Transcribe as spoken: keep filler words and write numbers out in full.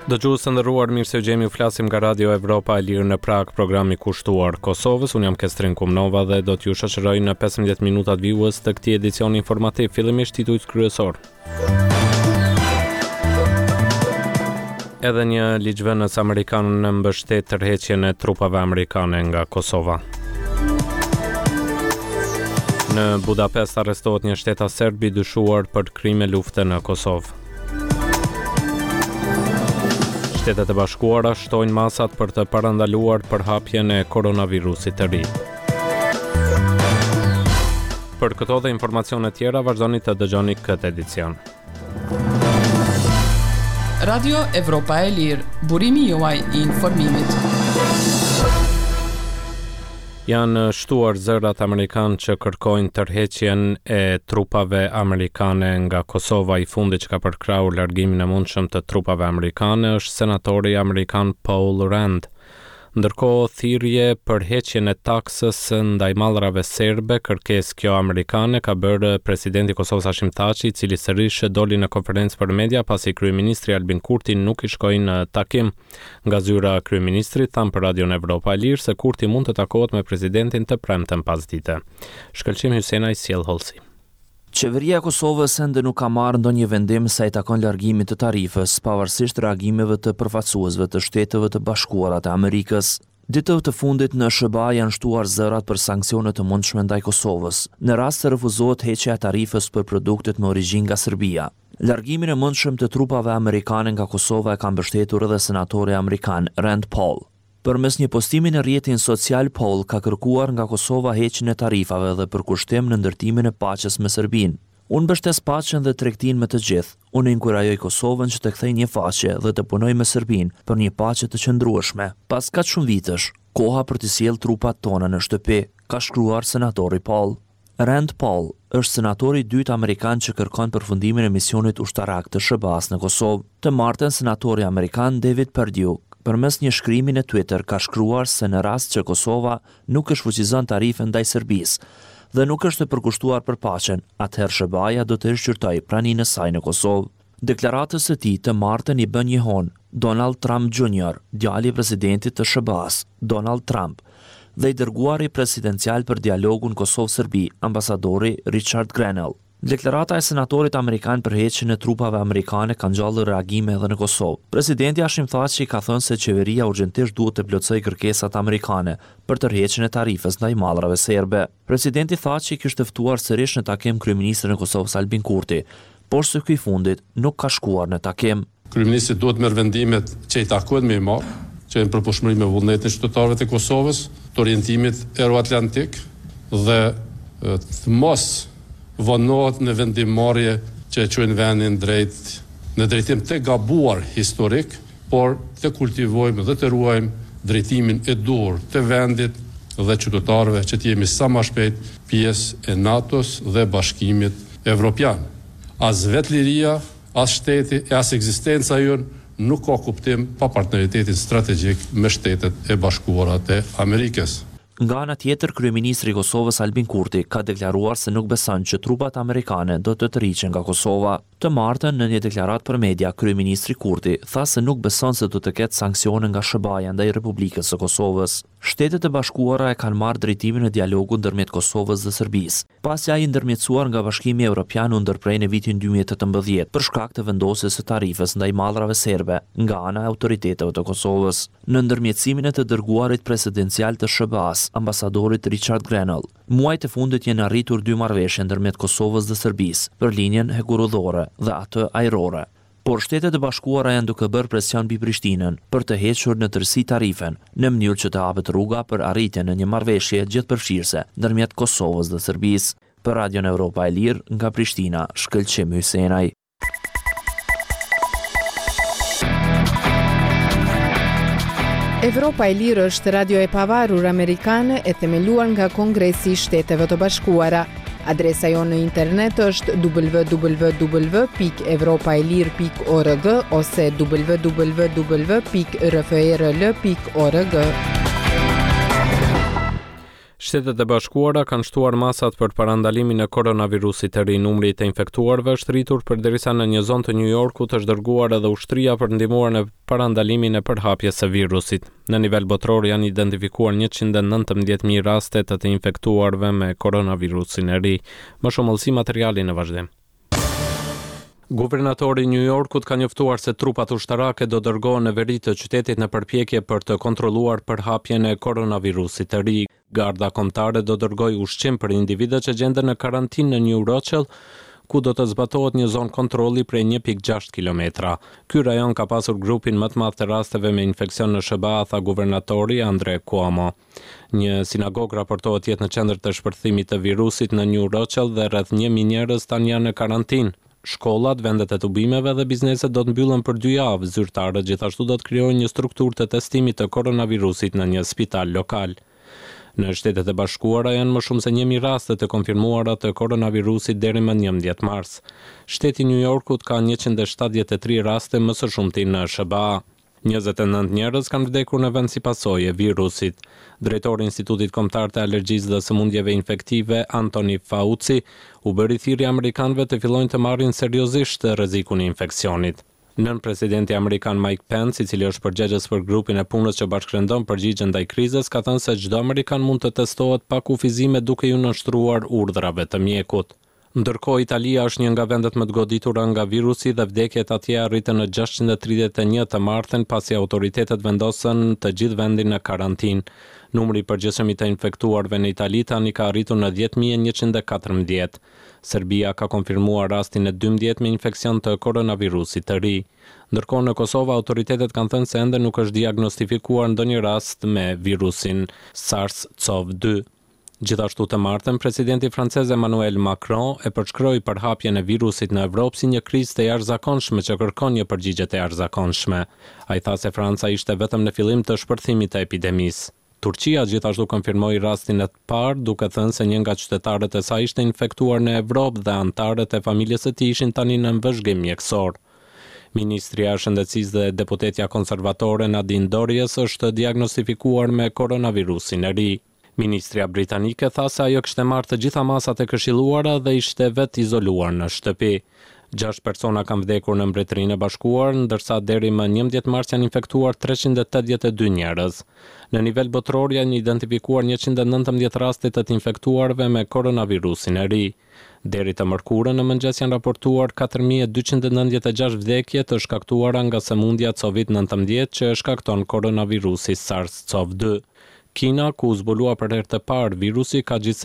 Dëgjues të nderuar, mirë se ju gjejmë, ju flasim nga Radio Evropa e Lirë në Prag, programi kushtuar Kosovës. Unë jam Kestrin Kumnova dhe do t'ju shoqëroj në pesëmbëdhjetë minutat vijues të këtij edicioni informativ. Fillimisht titujt kryesor. Edhe një ligjvënës amerikan mbështet tërheqjen e trupave amerikane nga Kosova. Në Budapest arrestohet një shtetas serb i dyshuar për krime lufte në Kosovë. Shtetet e Bashkuara shtojnë masat për të parandaluar përhapjen e koronavirusit të ri. Për këto dhe informacione tjera vazhdoni të dëgjoni këtë edicion. Radio Evropa e Lirë, burimi juaj i informimit. Janë shtuar zërat amerikan që kërkojnë tërheqjen e trupave amerikane nga Kosova. I fundit që ka përkrahur largimin e mundshëm të trupave amerikane është senatori amerikan Paul Rand. Ndërkohë, thirrje për heqjen e taksës ndaj mallrave serbe, kërkesë kjo amerikane, ka bërë presidenti i Kosovës Hashim Thaçi, i cili sërish doli në konferencë për media pasi kryeministri Albin Kurti nuk i shkoi në takim. Nga zyra e kryeministrit thanë për Radion Evropa e Lirë se Kurti mund të takohet me presidentin të premten pasdite. Shkëlqim Hysenaj sjell hollësi. Qeveria e Kosovës ende nuk ka marrë ndonjë vendim sa i takon largimit të tarifës, pavarësisht reagimeve të përfaqësuesve të Shteteve të Bashkuara të Amerikës. Ditëve të fundit në S H B A janë shtuar zërat për sanksione të mundshme ndaj Kosovës, në rast se refuzohet heqja e tarifës për produktet me origjinë nga Serbia. Largimin e mundshëm të trupave amerikane nga Kosova e ka mbështetur edhe senatori amerikan Rand Paul. Përmes një postimi në rrjetin social, Paul ka kërkuar nga Kosova heqjen e tarifave dhe përkushtim në ndërtimin e paqes me Serbinë. Unë mbështes paqen dhe tregtinë me të gjithë. Unë inkurajoj Kosovën që të kthejë një faqe dhe të punojë me Serbinë për një paqe të qëndrueshme. Pas kaq shumë vitesh, koha për të sjellë trupat tona në shtëpi, ka shkruar senatori Paul. Rand Paul është senatori i dytë amerikan që kërkon përfundimin e misionit ushtarak të S H B A-s në Kosovë. Të martën, senatori amerikan David Perdue përmes një shkrimi në Twitter ka shkruar se në rast që Kosova nuk e shfuqizon tarifën ndaj Serbisë dhe nuk është e përkushtuar për paqen, atëherë S H B A-ja do të rishqyrtojë praninë e saj në Kosovë. Deklaratës së tij të martën i bën jehon Donald Trump Junior, djali i presidentit të S H B A-s, Donald Trump, dhe i dërguari presidencial për dialogun Kosovë-Serbi, ambasadori Richard Grenell. Deklarata e senatorit amerikan për heqjen e trupave amerikane ka ngjallur reagime edhe në Kosovë. Presidenti Hashim Thaçi ka thënë se qeveria urgjentisht duhet të plotësojë kërkesat amerikane për tërheqjen e tarifës ndaj mallrave serbe. Presidenti Thaçi kishte ftuar sërish në takim kryeministrin e Kosovës Albin Kurti, por se ky i fundit nuk ka shkuar në takim. Kryeministri duhet merr vendimet që i takojnë me i marr, që janë përpushmëri me vullnetin e qytetarëve të Kosovës, të orientimit euroatlantik dhe të mos vonohet në vendimmarrje që e çojnë vendin drejt në drejtim të gabuar historik, por të kultivojmë dhe të ruajmë drejtimin e duhur të vendit dhe qytetarëve që të jemi sa më shpejt pjesë e NATO-s dhe Bashkimit Evropian. As vetë liria, as shteti e as ekzistenca jonë nuk ka kuptim pa partneritetin strategjik me Shtetet e Bashkuara të Amerikës. Nga ana tjetër, kryeministri i Kosovës Albin Kurti ka deklaruar se nuk beson që trupat amerikane do të tërhiqen nga Kosova. Të martën, në një deklaratë për media, kryeministri Kurti tha se nuk beson se do të ketë sanksione nga S H B A-ja ndaj Republikës së Kosovës. Shtetet e Bashkuara e kanë marrë drejtimin e dialogut ndërmjet Kosovës dhe Serbisë, pasi ai ndërmjetësuar nga Bashkimi Evropian u ndërprej në vitin dy mijë e tetëmbëdhjetë për shkak të vendosjes së tarifës ndaj mallrave serbe nga ana e autoriteteve të Kosovës. Në ndërmjetësimin e të dërguarit presidencial të S H B A-s, ambasadorit Richard Grenell, muajt e fundit janë arritur dy marrëveshje ndërmjet Kosovës dhe Serbisë për linjën hekurudhore dhe atë ajrore. Por Shtetet e Bashkuara janë duke bërë presion mbi Prishtinën për të hequr në tërësi tarifen, në mënyrë që të hapet rruga për arritjen e një marrëveshje gjithëpërfshirëse ndërmjet Kosovës dhe Serbisë. Për Radion Evropa e Lirë nga Prishtina, Shkëlqim Hysenaj. Evropa e Lirë është radio e pavarur amerikane e themeluar nga Kongresi i Shteteve të Bashkuara. Adresa jonë në internet është w w w pikë evropa e lirë pikë org ose w w w pikë r f r l pikë org. Shtetet e Bashkuara kanë shtuar masat për parandalimin e koronavirusit të ri. Numri i të infektuarve është rritur përderisa në një zonë të New Yorkut është dërguar edhe ushtria për ndihmuar në parandalimin e përhapjes së virusit. Në nivel botëror janë identifikuar njëqind e nëntëmbëdhjetë mijë raste të të infektuarve me koronavirusin e ri. Më shumë hollësi materiali në vazhdim. Guvernatori i New Yorkut ka njoftuar se trupat ushtarake do dërgohen në veri të qytetit në përpjekje për të kontrolluar përhapjen e koronavirusit të ri. Garda Kombëtare do dërgojë ushqim për individët që gjenden në karantinë në New Rochelle, ku do të zbatohet një zonë kontrolli prej një pikë gjashtë kilometra. Ky rajon ka pasur grupin më të madh të rasteve me infeksion në S H B A, tha guvernatori Andrew Cuomo. Një sinagogë raportohet jetë në qendër të shpërthimit të virusit në New Rochelle dhe rreth një mijë njerëz tani janë në karantinë. Shkollat, vendet e tubimeve dhe bizneset do të mbyllen për dy javë. Zyrtarët gjithashtu do të krijojnë një strukturë të testimit të koronavirusit në një spital lokal. Në Shtetet e Bashkuara janë më shumë se një mijë raste të konfirmuara të koronavirusit deri më njëmbëdhjetë mars. Shteti i New Yorkut ka njëqind e shtatëdhjetë e tri raste, më së shumti në S H B A. njëzet e nëntë njerëz kanë vdekur në vend si pasojë e virusit. Drejtori i Institutit Kombëtar të Alergjisë dhe Sëmundjeve Infektive, Anthony Fauci, u bëri thirrje amerikanëve të fillojnë të marrin seriozisht rrezikun e infeksionit. Nën presidenti amerikan Mike Pence, i cili është përgjegjës për grupin e punës që bashkërendon përgjigjen ndaj krizës, ka thënë se çdo amerikan mund të testohet pa kufizime duke iu nënshtruar urdhrave të mjekut. Ndërkohë, Italia është një nga vendet më të goditura nga virusi dhe vdekjet atje arritën në gjashtëqind e tridhjetë e një të martën, pasi autoritetet vendosën të gjithë vendin në karantinë. Numri i përgjithshëm i të infektuarve në Itali tani ka arritur në dhjetë mijë e njëqind e katërmbëdhjetë. Serbia ka konfirmuar rastin e dymbëdhjetë me infeksion të koronavirusit të ri. Ndërkohë, në Kosovë autoritetet kanë thënë se ende nuk është diagnostifikuar ndonjë rast me virusin SARS-CoV dy. Gjithashtu të martën, presidenti francez Emmanuel Macron e përshkroi përhapjen e virusit në Evropë si një krizë të jashtëzakonshme që kërkon një përgjigje të jashtëzakonshme. Ai tha se Franca ishte vetëm në fillim të shpërthimit të epidemisë. Turqia gjithashtu konfirmoi rastin e parë, duke thënë se një nga qytetarët e saj ishte infektuar në Evropë dhe anëtarët e familjes së tij ishin tani në vëzhgim mjekësor. Ministria e Shëndetësisë dhe deputetja konservatore Nadine Dorries është diagnostifikuar me koronavirusin e ri. Ministria britanike tha se ajo kishte marrë të gjitha masat e këshilluara dhe ishte vetë izoluar në shtëpi. Gjashtë persona kanë vdekur në Mbretërinë e Bashkuar, ndërsa deri më njëmbëdhjetë mars janë infektuar treqind e tetëdhjetë e dy njerëz. Në nivel botëror janë identifikuar njëqind e nëntëmbëdhjetë raste të të infektuarve me koronavirusin e ri. Deri të mërkurën në mëngjes janë raportuar katër mijë e dyqind e nëntëdhjetë e gjashtë vdekje të shkaktuara nga sëmundja Covid nëntëmbëdhjetë që e shkakton koronavirusi SARS-CoV dy. Kina, ku u zbulua për herë të parë virusi, ka gjithsej